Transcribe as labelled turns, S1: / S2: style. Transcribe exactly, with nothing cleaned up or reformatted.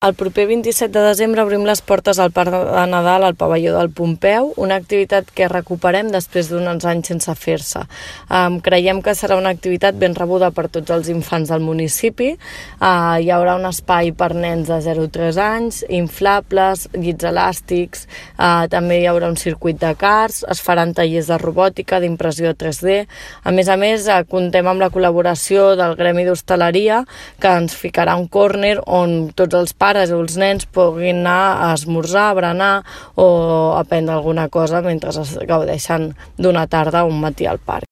S1: El proper vint-i-set de desembre obrim les portes al Parc de Nadal al pavelló del Pompeu, una activitat que recuperem després d'uns anys sense fer-se. Um, creiem que serà una activitat ben rebuda per tots els infants del municipi. Uh, hi haurà un espai per nens de zero a tres anys, inflables, llits elàstics, uh, també hi haurà un circuit de karts, es faran tallers de robòtica, d'impressió tres D. A més a més, uh, comptem amb la col·laboració del Gremi d'Hostaleria, que ens ficarà un córner on tots els pares pares o els nens puguin anar a esmorzar, a berenar o a prendre alguna cosa mentre es gaudeixen d'una tarda o un matí al parc.